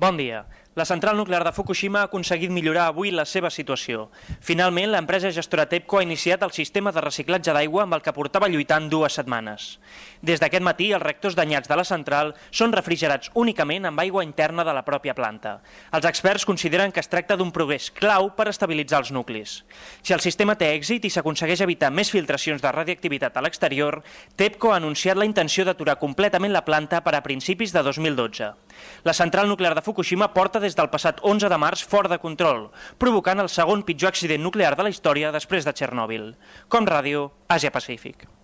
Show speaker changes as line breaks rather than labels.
Bon dia. La central nuclear de Fukushima ha aconseguit millorar avui la seva situació. Finalment, l'empresa gestora TEPCO ha iniciat el sistema de reciclatge d'aigua amb el que portava lluitant 2 setmanes. Des d'aquest matí, els reactors danyats de la central són refrigerats únicament amb aigua interna de la pròpia planta. Els experts consideren que es tracta d'un progrés clau per estabilitzar els nuclis. Si el sistema té èxit i s'aconsegueix evitar més filtracions de radioactivitat a l'exterior, TEPCO ha anunciat la intenció d'aturar completament la planta per a principis de 2012. La central nuclear de Fukushima porta des del passat 11 de març fora de control, provocant el segon pitjor accident nuclear de la història després de Txernòbil. Com Ràdio, Àsia Pacífic.